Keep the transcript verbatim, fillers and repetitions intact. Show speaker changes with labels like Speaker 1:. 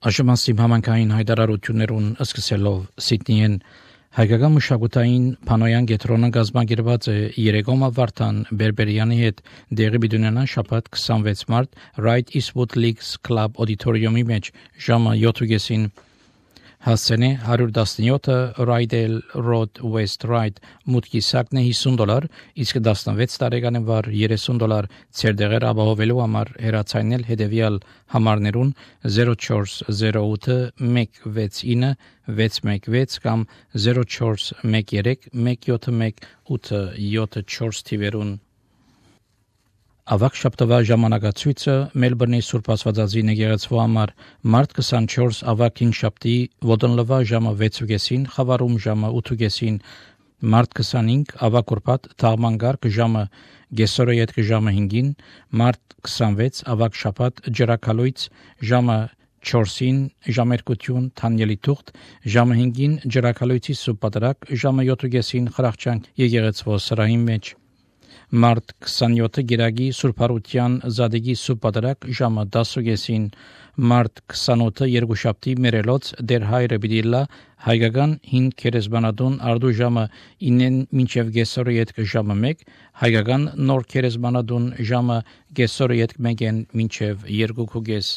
Speaker 1: Աշմասի համանքային հայտարարություններուն սկսելով Սիդնիեն հայկական մշակութային Փանոյան կենտրոնը գազմագերված է Երեգոմա Վարդան Բերբերյանի հետ դեղի բիդունենան շաբաթ քսանվեց մարտ Right Eastwood Leagues Club Auditorium-ի մեջ ժամը յոթ հասցենե հարյուր տասնյոթը Rydell Road West Ride մուտքի սակն է հիսուն դոլար, իսկ տասնվեց տարեկան վար երեսուն դոլար ցերդեղեր ապահովելու համար հեռացանել հետևյալ համարներուն zero four zero eight one six nine six one six կամ zero four one three one seven one eight seven four թիվերուն Ավակ շաբթվա ժամանակացույցը Մելբուրնի Սուրբ Աստվածածին եկեղեցու համար մարտ քսանչորս ավակ հինգշաբթի ոդնլվա ժամը վեցուկեսին խավարում ժամը ութուկեսին մարտ քսանհինգ ավակ ուրբաթ թաղմանգարկ ժամը գեսորը յետք ժամը հինգին մարտ քսանվեց ավակ շաբաթ ջրակալույց ժամը չորսին ժամերկություն թանյելի թուղթ ժամը հինգին ջրակալույցի սուրբ պատարագ ժամը յոթուկեսին խրախճանք եկեղեցվո սրահի մեջ Մարտ քսանյոթը գիրագի Սուրբարության Զադեգի Սուրբ Պատարագ ժամը դասուկեսին մարտ քսանութը երկուշաբթի մերելոց դեր հայրը բիդիլա հայկական հին քերեզմանատուն արդու ժամը ինեն մինչև գեսորը յետք ժամը մեկ հայկական նոր քերեզմանատուն ժամը գեսորը յետք մեկեն մինչև երկու կուգես